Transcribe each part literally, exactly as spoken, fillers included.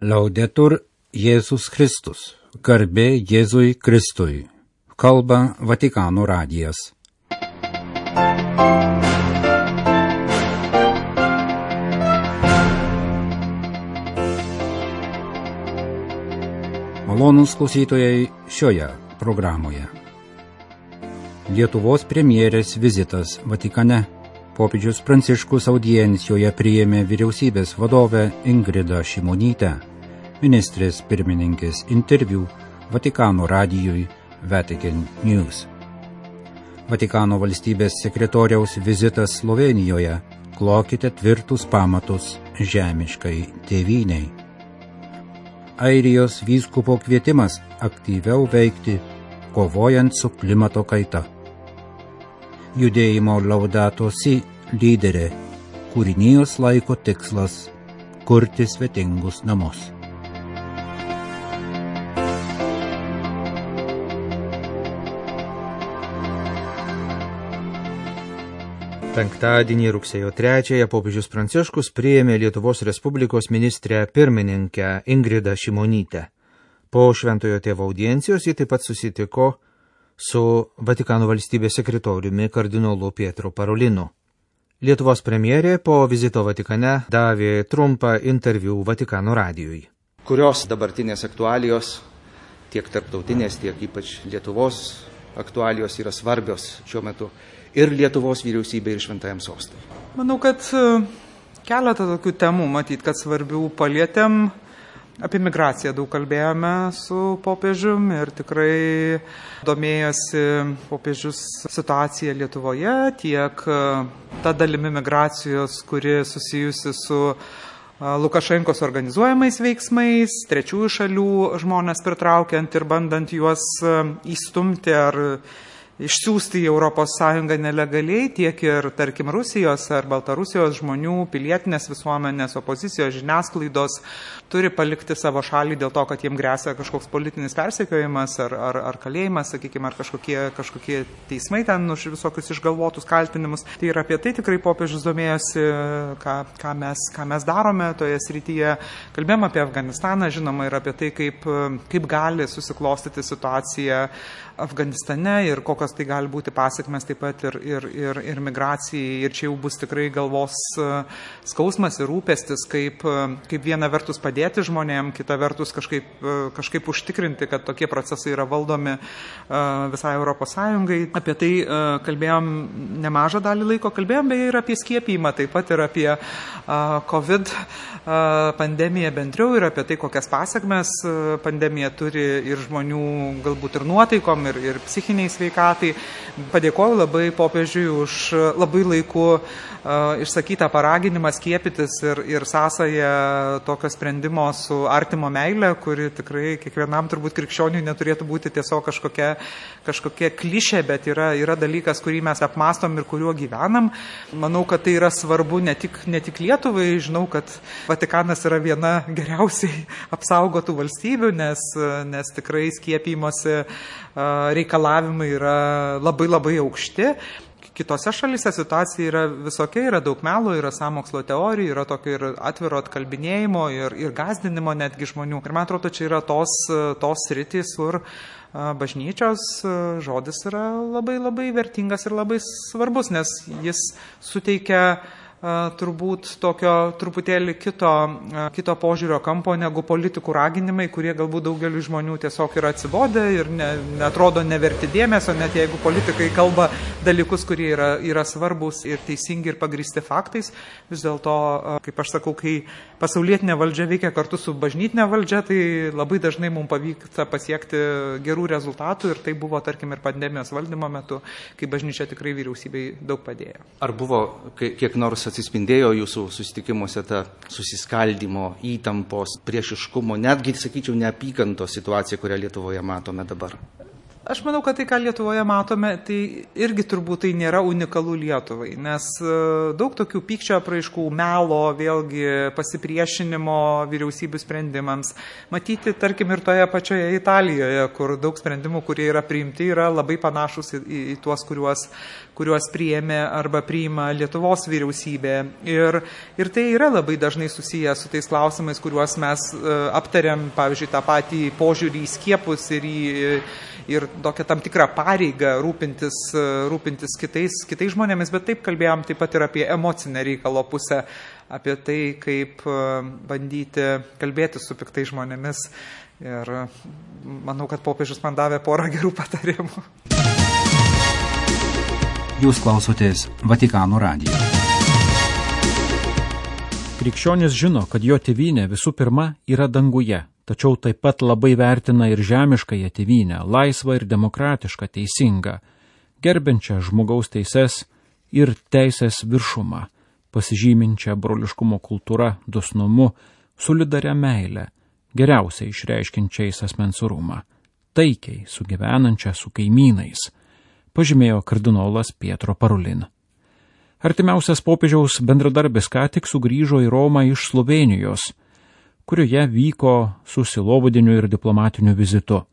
Laudetur Jėzus Kristus, garbė Jėzui Kristui, kalba Vatikano radijas. Malonūs klausytojai šioje programoje. Lietuvos premjerės vizitas Vatikane. Popiežius Pranciškus audiencijoje priėmė vyriausybės vadovę Ingridą Šimonytę. Ministrės pirmininkės interviu Vatikano radijui Vatican News. Vatikano valstybės sekretoriaus vizitas Slovėnijoje. Klokite tvirtus pamatus žemiškai tėvynei. Airijos vyskupo kvietimas aktyviau veikti, kovojant su klimato kaita. Judėjimo Laudato Si lyderė, kūrinijos laiko tikslas – kurti svetingus namus. Penktadienį rugsėjo trečiąją popiežius Pranciškus priėmė Lietuvos Respublikos ministrę pirmininkę Ingridą Šimonytę. Po Šventojo Tėvo audiencijos ji taip pat susitiko su Vatikano valstybės sekretoriumi kardinolu Pietro Parolinu. Lietuvos premjerė po vizito Vatikane davė trumpą interviu Vatikano radijui. Kurios dabartinės aktualijos, tiek tarptautinės, tiek ypač Lietuvos aktualijos yra svarbios šiuo metu ir Lietuvos vyriausybė ir Šventajam sostui? Manau, kad keletą tokių temų matyt, kad svarbių palietėm. Apie migraciją daug kalbėjome su popiežium ir tikrai domėjosi popiežius situacija Lietuvoje, tiek ta dalimi migracijos, kuri susijusi su Lukašenkos organizuojamais veiksmais, trečiųjų šalių žmonės pritraukiant ir bandant juos įstumti ar išsiųsti į Europos Sąjungą nelegaliai, tiek ir, tarkim, Rusijos ar Baltarusijos žmonių, pilietinės visuomenės, opozicijos, žiniasklaidos turi palikti savo šalį dėl to, kad jiem gresia kažkoks politinis persekiojimas ar, ar, ar kalėjimas, sakykime, ar kažkokie, kažkokie teismai ten už visokius išgalvotus kaltinimus. Tai ir apie tai tikrai popiežius domėjosi, ką, ką, mes, ką mes darome toje srityje. Kalbėjom apie Afganistaną, žinoma, ir apie tai, kaip, kaip gali susiklostyti situacija Afganistane ir kokios tai gali būti pasiekmes taip pat ir, ir, ir, ir migracijai. Ir čia jau bus tikrai galvos skausmas ir rūpestis, kaip, kaip viena vertus padėti žmonėm, kita vertus kažkaip, kažkaip užtikrinti, kad tokie procesai yra valdomi visai Europos Sąjungai. Apie tai kalbėjom nemažą dalį laiko, kalbėjom beje ir apie skiepijimą, taip pat ir apie COVID pandemiją bendriau ir apie tai, kokias pasiekmes pandemija turi ir žmonių galbūt ir nuotaikom, ir, ir psichiniai sveikatai. Padėkoju labai popiežiui už labai laiku uh, išsakytą paraginimą skiepytis ir, ir sąsają tokio sprendimo su artimo meile, kuri tikrai kiekvienam turbūt krikščioniui neturėtų būti tiesiog kažkokia, kažkokia klišė, bet yra, yra dalykas, kurį mes apmastom ir kuriuo gyvenam. Manau, kad tai yra svarbu ne tik, ne tik Lietuvai. Žinau, kad Vatikanas yra viena geriausiai apsaugotų valstybių, nes, nes tikrai skiepymosi reikalavimai yra labai labai aukšti. Kitose šalyse situacija yra visokia, yra daug melo, yra sąmokslo teorijų, yra tokio ir atviro atkalbinėjimo ir, ir gazdinimo netgi žmonių. Ir man atrodo, čia yra tos, tos sritys, kur bažnyčios žodis yra labai labai vertingas ir labai svarbus, nes jis suteikia turbūt tokio truputėlį kito, kito požiūrio kampo negu politikų raginimai, kurie galbūt daugeliu žmonių tiesiog yra atsibodę ir ne, neatrodo neverti dėmesio, net jeigu politikai kalba dalykus, kurie yra, yra svarbus ir teisingi ir pagrįsti faktais. Vis dėlto, kaip aš sakau, kai pasaulietinė valdžia veikia kartu su bažnytinė valdžia, tai labai dažnai mums pavyksta pasiekti gerų rezultatų ir tai buvo, tarkim, ir pandemijos valdymo metu, kai bažnyčia tikrai vyriausybei daug padėjo. Ar buvo kiek nors atsispindėjo jūsų susitikimuose ta susiskaldimo, įtampos, priešiškumo, netgi, sakyčiau, neapykantos situacija, kurią Lietuvoje matome dabar? Aš manau, kad tai, ką Lietuvoje matome, tai irgi turbūt tai nėra unikalu Lietuvai, nes daug tokių pykčio apraiškų, melo, vėlgi pasipriešinimo vyriausybių sprendimams. Matyti, tarkim, ir toje pačioje Italijoje, kur daug sprendimų, kurie yra priimti, yra labai panašus į, į, į tuos, kuriuos, kuriuos priėmė arba priima Lietuvos vyriausybė. Ir, ir tai yra labai dažnai susiję su tais klausimais, kuriuos mes aptariam, pavyzdžiui, tą patį požiūrį į skiepus ir į ir tokią tam tikrą pareigą rūpintis, rūpintis kitais, kitais žmonėmis, bet taip kalbėjom taip pat ir apie emocinę reikalo pusę, apie tai, kaip bandyti kalbėti su piktais žmonėmis. Ir manau, kad popiežius man davė porą gerų patarimų. Jūs klausotės Vatikano radijo. Krikščionis žino, kad jo tėvynė visų pirma yra danguje, tačiau taip pat labai vertina ir žemiškąją tėvynę, laisvą ir demokratišką, teisingą, gerbiančią žmogaus teises ir teisės viršumą, pasižyminčią broliškumo kultūrą, dosnumu, solidaria meilę, geriausiai išreiškinčiais asmens orumą, taikiai sugyvenančią su kaimynais, pažymėjo kardinolas Pietro Parolin. Artimiausias popiežiaus bendradarbis ką tik sugrįžo į Romą iš Slovėnijos, kurioje vyko su sielovadiniu ir diplomatiniu vizitu.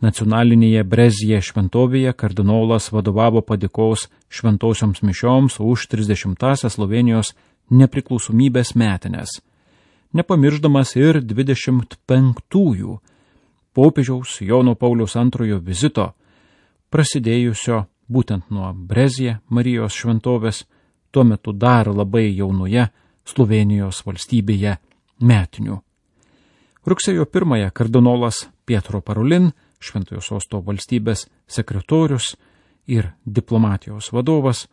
Nacionalinėje Brezije šventovėje kardinolas vadovavo padėkos šventosioms mišioms už trisdešimtąsias Slovėnijos nepriklausomybės metines, nepamirždamas ir dvidešimt penktųjų popiežiaus Jono Pauliaus antrojo vizito, prasidėjusio būtent nuo Brezije Marijos šventovės, tuo metu dar labai jaunoje Slovėnijos valstybėje metinių. Rugsėjo pirmąją kardinolas Pietro Parolin, Šventojo Sosto valstybės sekretorius ir diplomatijos vadovas,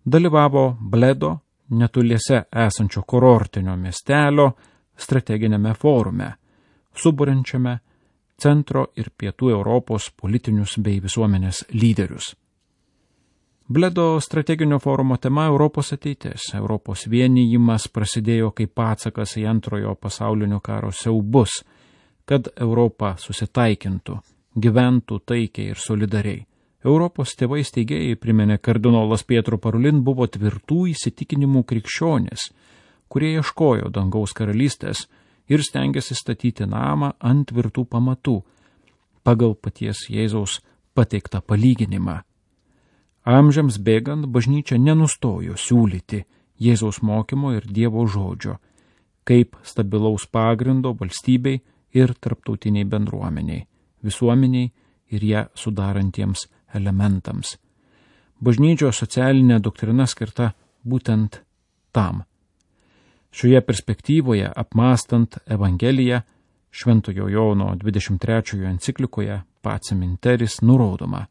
dalyvavo Bledo, netoliese esančio kurortinio miestelio, strateginėme forume, suburiančiame centro ir pietų Europos politinius bei visuomenės lyderius. Bledo strateginio forumo tema Europos ateitis. Europos vienijimas prasidėjo kaip atsakas į antrojo pasaulinio karo siaubus, kad Europa susitaikintų, gyventų taikiai ir solidariai. Europos tėvai steigėjai, priminė kardinolas Pietro Parolin, buvo tvirtų įsitikinimų krikščionis, kurie ieškojo dangaus karalystės ir stengiasi statyti namą ant tvirtų pamatų, pagal paties Jėzaus pateiktą palyginimą. Amžiams bėgant bažnyčia nenustojo siūlyti Jėzaus mokymo ir Dievo žodžio, kaip stabilaus pagrindo valstybei ir tarptautiniai bendruomeniai, visuomeniai ir ją sudarantiems elementams. Bažnyčios socialinė doktrina skirta būtent tam. Šioje perspektyvoje, apmąstant Evangeliją, Šventojo Jono dvidešimt trečiojo enciklikoje Pacem in Terris nurodoma,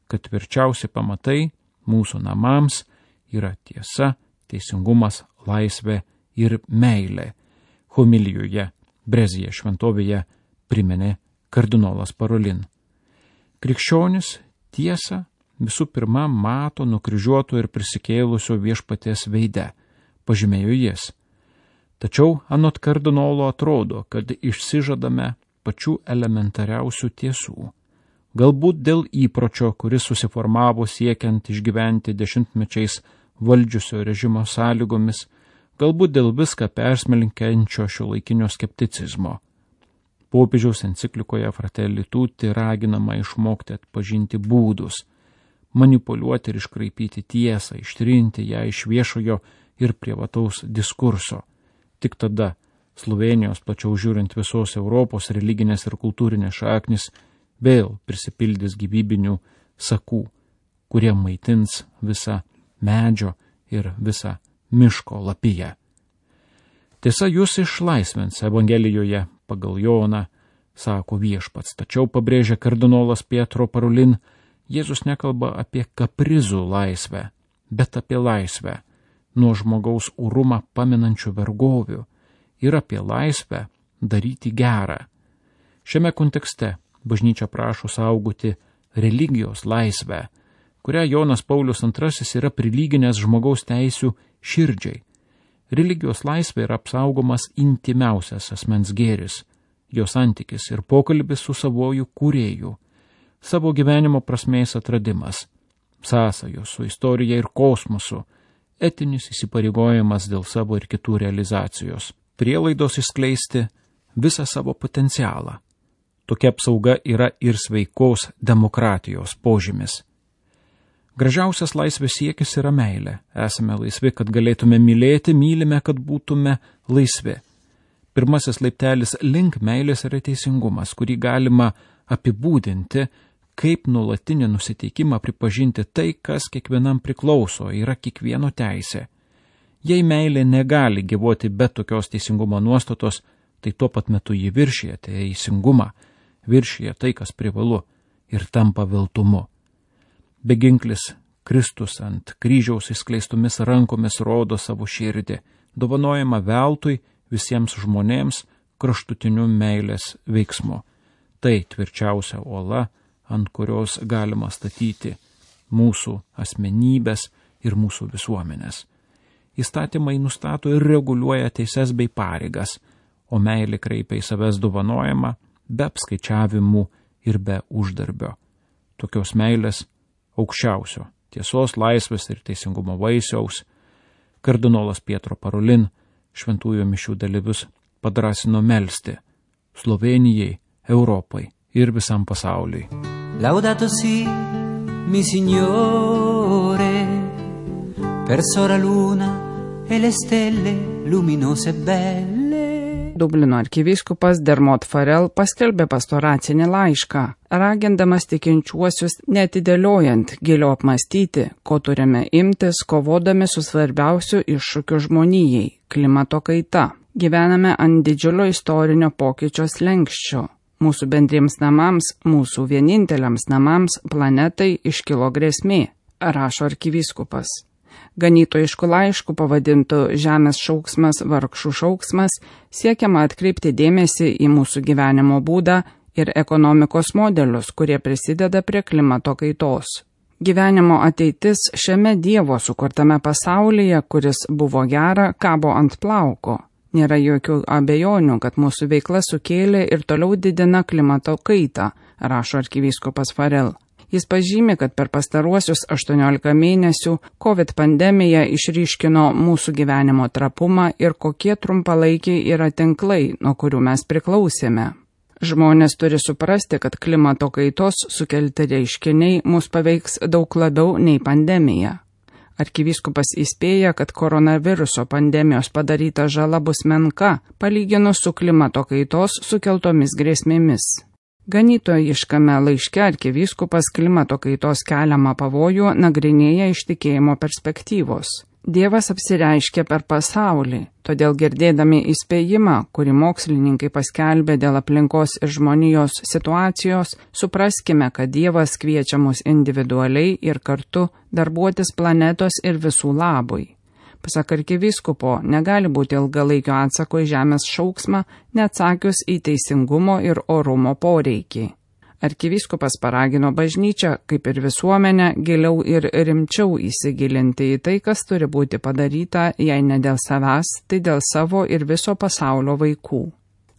kad tvirčiausi pamatai mūsų namams yra tiesa, teisingumas, laisvė ir meilė. Homilijoje Brezije šventovėje priminė kardinolas Parolin. Krikščionis tiesą visų pirma mato nukryžiuoto ir prisikėlusio viešpaties veide, pažymėjo jis. Tačiau anot kardinolo atrodo, kad išsižadame pačių elementariausių tiesų. Galbūt dėl įpročio, kuris susiformavo siekiant išgyventi dešimtmečiais valdžiusio režimo sąlygomis, galbūt dėl viską persmelkiančio šiuolaikinio skepticizmo. Popiežiaus enciklikoje Fratelli Tutti raginama išmokti atpažinti būdus, manipuliuoti ir iškraipyti tiesą, ištrinti ją iš viešojo ir privataus diskurso. Tik tada Slovėnijos, plačiau žiūrint visos Europos religinės ir kultūrinės šaknis, vėl prisipildys gyvybinių sakų, kurie maitins visą medžio ir visą miško lapiją. Tiesa, jūs išlaisvins Evangelijoje pagal Joną, sako viešpats, tačiau pabrėžia kardinolas Pietro Parolin, Jėzus nekalba apie kaprizų laisvę, bet apie laisvę nuo žmogaus orumą paminančių vergovių ir apie laisvę daryti gerą. Šiame kontekste bažnyčia prašo saugoti religijos laisvę, kurią Jonas Paulius antrasis yra prilyginęs žmogaus teisių širdžiai. Religijos laisvė yra apsaugomas intimiausias asmens gėris, jo santykis ir pokalbis su savoju kūrėju. savo gyvenimo prasmės atradimas, sąsajos su istorija ir kosmosu, etinis įsipareigojimas dėl savo ir kitų realizacijos, prielaidos išskleisti visą savo potencialą. Tokia apsauga yra ir sveikos demokratijos požymis. Gražiausias laisvės siekis yra meilė. Esame laisvi, kad galėtume mylėti, mylime, kad būtume laisvi. Pirmasis laiptelis link meilės yra teisingumas, kurį galima apibūdinti kaip nuolatinį nusiteikimą pripažinti tai, kas kiekvienam priklauso, yra kiekvieno teisė. Jei meilė negali gyvuoti be tokios teisingumo nuostatos, tai tuo pat metu jį viršyje teisingumą, viršyje tai, kas privalu, ir tampa viltumu. Beginklis Kristus ant kryžiaus išskleistomis rankomis rodo savo širdį, dovanojama veltui visiems žmonėms kraštutiniu meilės veiksmu. Tai tvirčiausia uola, ant kurios galima statyti mūsų asmenybės ir mūsų visuomenės. Įstatymai nustato ir reguliuoja teises bei pareigas, o meilė kreipia į savęs dovanojimą be apskaičiavimų ir be uždarbio. Tokios meilės aukščiausio, tiesos, laisvės ir teisingumo vaisiaus, kardinolas Pietro Parolin šventųjų mišių dalyvius padrasino melsti Slovenijai, Europai ir visam pasauliui. Laudato si, mi Signore, per sora luna e le stelle luminose belle. Dublino arkivyskupas Dermot Farrell paskelbė pastoracinį laišką, ragindamas tikinčiuosius neatidėliojant giliau apmastyti, ko turime imtis, kovodami su svarbiausiu iššūkiu žmonijai – klimato kaita. Gyvename ant didžiulio istorinio pokyčio slenksčio. Mūsų bendriems namams, mūsų vieninteliams namams, planetai iškilo grėsmė, rašo arkivyskupas. Ganytojišku laišku pavadintų Žemės šauksmas, vargšų šauksmas, siekiama atkreipti dėmesį į mūsų gyvenimo būdą ir ekonomikos modelius, kurie prisideda prie klimato kaitos. Gyvenimo ateitis šiame Dievo sukurtame pasaulyje, kuris buvo gera, kabo ant plauko. Nėra jokių abejonių, kad mūsų veikla sukėlė ir toliau didina klimato kaitą, rašo arkivyskupas Farrell. Jis pažymi, kad per pastaruosius aštuoniolika mėnesių COVID pandemija išryškino mūsų gyvenimo trapumą ir kokie trumpalaikiai yra tinklai, nuo kurių mes priklausėme. Žmonės turi suprasti, kad klimato kaitos sukelti reiškiniai mus paveiks daug labiau nei pandemija. Arkivyskupas įspėja, kad koronaviruso pandemijos padaryta žala bus menka, palyginus su klimato kaitos sukeltomis grėsmėmis. Ganytojiškame laiške arkivyskupas klimato kaitos keliamą pavojų nagrinėja iš tikėjimo perspektyvos. Dievas apsireiškia per pasaulį, todėl girdėdami įspėjimą, kurį mokslininkai paskelbė dėl aplinkos ir žmonijos situacijos, supraskime, kad Dievas kviečia mus individualiai ir kartu darbuotis planetos ir visų labui. Pasak arkivyskupo, negali būti ilgalaikio atsako į Žemės šauksmą, neatsakius į teisingumo ir orumo poreikį. Arkivyskupas paragino bažnyčią, kaip ir visuomenę, giliau ir rimčiau įsigilinti į tai, kas turi būti padaryta, jei ne dėl savęs, tai dėl savo ir viso pasaulio vaikų.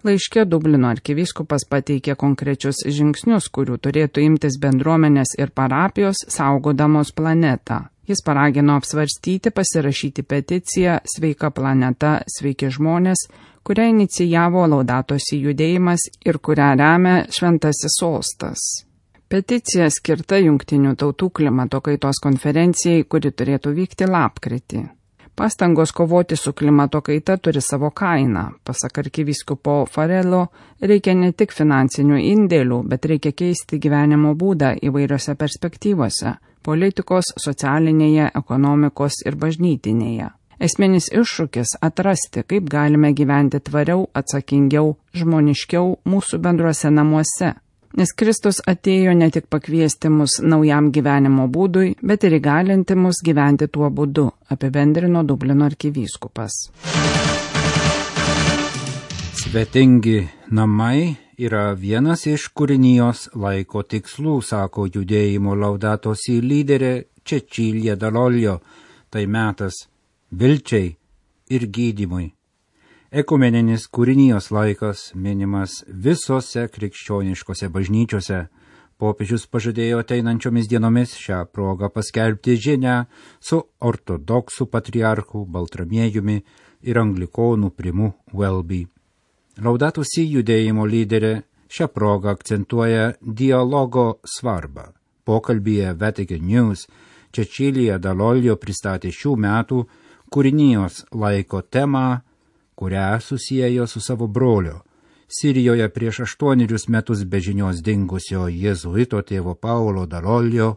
Laiške Dublino arkivyskupas pateikė konkrečius žingsnius, kurių turėtų imtis bendruomenės ir parapijos saugodamos planetą. Jis paragino apsvarstyti, pasirašyti peticiją Sveika planeta, sveiki žmonės, kurią inicijavo Laudato si judėjimas ir kurią remia Šventasis Sostas. Peticija skirta Jungtinių tautų klimato kaitos konferencijai, kuri turėtų vykti lapkritį. Pastangos kovoti su klimato kaita turi savo kainą. Pasak arkivyskupo Farrello, reikia ne tik finansinių indėlių, bet reikia keisti gyvenimo būdą įvairiose perspektyvose – politikos, socialinėje, ekonomikos ir bažnytinėje. Esminis iššūkis – atrasti, kaip galime gyventi tvariau, atsakingiau, žmoniškiau mūsų bendruose namuose. Nes Kristus atėjo ne tik pakviesti mus naujam gyvenimo būdui, bet ir įgalinti mus gyventi tuo būdu, apibendrino Dublino arkivyskupas. Svetingi namai yra vienas iš kūrinijos laiko tikslų, sako judėjimo Laudato si lyderė Cecilia Dalolio. Tai metas vilčiai ir gydymui. Ekumeninis kūrinijos laikas minimas visose krikščioniškose bažnyčiose, Popiežius pažadėjo ateinančiomis dienomis šią progą paskelbti žinią su ortodoksų patriarchu Baltramiejumi ir anglikonų primu Welby. Laudato Si judėjimo lyderė šią progą akcentuoja dialogo svarbą. Pokalbyje Vatican News Cecilia Dall'Oglio pristatė šių metų kūrinijos laiko temą, kurią susiejo su savo brolio, Sirijoje prieš aštuonerius metus be žinios dingusio jėzuito tėvo Paulo Dall'Oglio,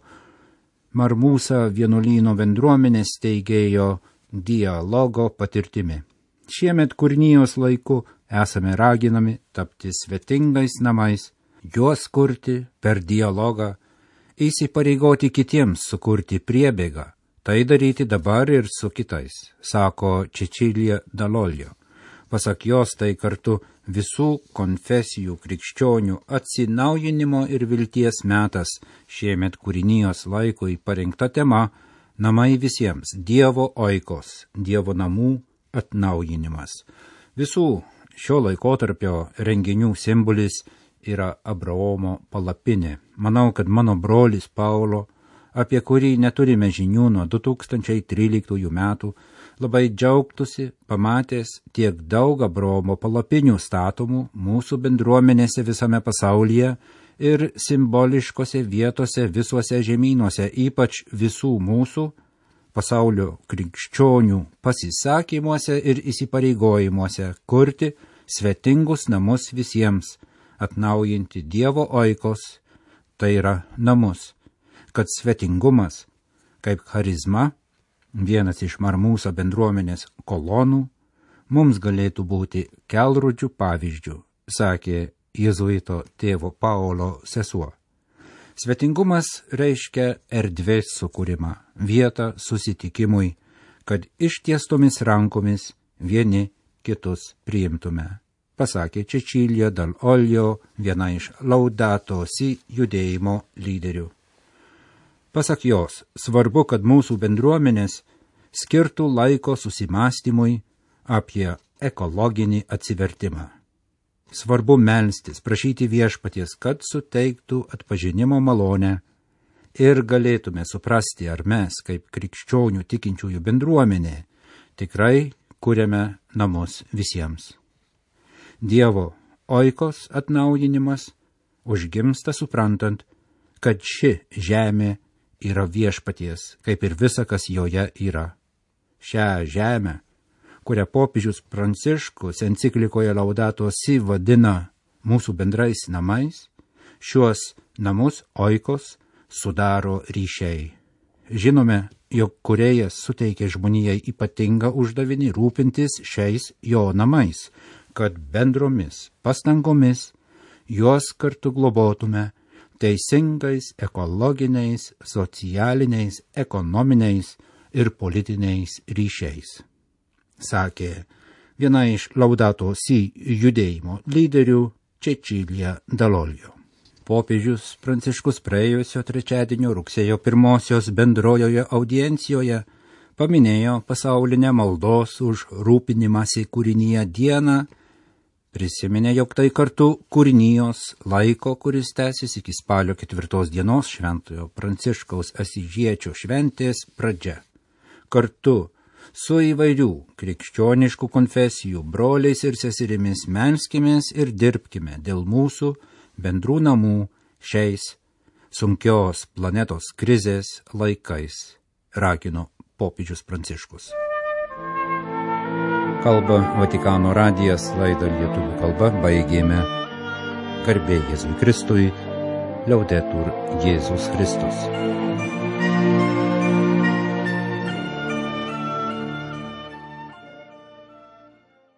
Marmusa vienuolyno bendruomenės steigėjo dialogo patirtimi. Šiemet kūrinijos laiku esame raginami tapti svetingais namais, juos kurti per dialogą, įsipareigoti kitiems sukurti priebėgą, tai daryti dabar ir su kitais, sako Cecilia Dall'Oglio. Pasak jos, tai kartu visų konfesijų krikščionių atsinaujinimo ir vilties metas, šiemet kūrinijos laikui parinkta tema Namai visiems, Dievo oikos, Dievo namų atnaujinimas. Visų šio laikotarpio renginių simbolis yra Abraomo palapinė. Manau, kad mano brolis Paulo, apie kurį neturime žinių nuo du tūkstančiai tryliktųjų metų, labai džiaugtųsi pamatęs tiek daug Abraomo palapinių statomų mūsų bendruomenėse visame pasaulyje ir simboliškose vietose visuose žemynuose, ypač visų mūsų pasaulio krikščionių pasisakymuose ir įsipareigojimuose kurti svetingus namus visiems, atnaujinti Dievo oikos, tai yra namus, kad svetingumas, kaip charizma, vienas iš Marmusa bendruomenės kolonų, mums galėtų būti kelrodžių pavyzdžių, sakė jėzuito tėvo Paulo sesuo. Svetingumas reiškia erdvės sukūrimą, vietą susitikimui, kad ištiestomis rankomis vieni kitus priimtume, pasakė Cecilia Dall'Oglio, viena iš Laudato Si judėjimo lyderių. Pasak jos, svarbu, kad mūsų bendruomenės skirtų laiko susimastymui apie ekologinį atsivertimą. Svarbu melstis, prašyti viešpaties, kad suteiktų atpažinimo malonę ir galėtume suprasti, ar mes, kaip krikščionių tikinčiųjų bendruomenė, tikrai kuriame namus visiems. Dievo oikos atnaujinimas užgimsta suprantant, kad ši žemė yra viešpaties, kaip ir visa, kas joje yra. Šią žemę, kurią popiežius Pranciškus enciklikoje Laudato Si vadina mūsų bendrais namais, šiuos namus oikos sudaro ryšiai. Žinome, jog kūrėjas suteikė žmonijai ypatingą uždavinį rūpintis šiais jo namais, kad bendromis pastangomis juos kartu globotume teisingais ekologiniais, socialiniais, ekonominiais ir politiniais ryšiais, sakė viena iš Laudato Si judėjimo lyderių Cecilia Dall'Oglio. Popiežius Pranciškus praėjusio trečiadienio rugsėjo pirmosios bendrojoje audiencijoje paminėjo pasaulinę maldos už rūpinimąsi kūrinyje dieną, prisiminė, jog tai kartu kūrinijos laiko, kuris tęsis iki spalio ketvirtos dienos šventojo Pranciškaus Asyžiečio šventės pradžia. Kartu su įvairių krikščioniškų konfesijų broliais ir seserimis melskimės ir dirbkime dėl mūsų bendrų namų šiais sunkios planetos krizės laikais, ragino popiežius Pranciškus. Kalba Vatikano radijas, laidą lietuvių kalba baigėme. Garbė Jėzui Kristui, Liaudetur Jėzus Kristus.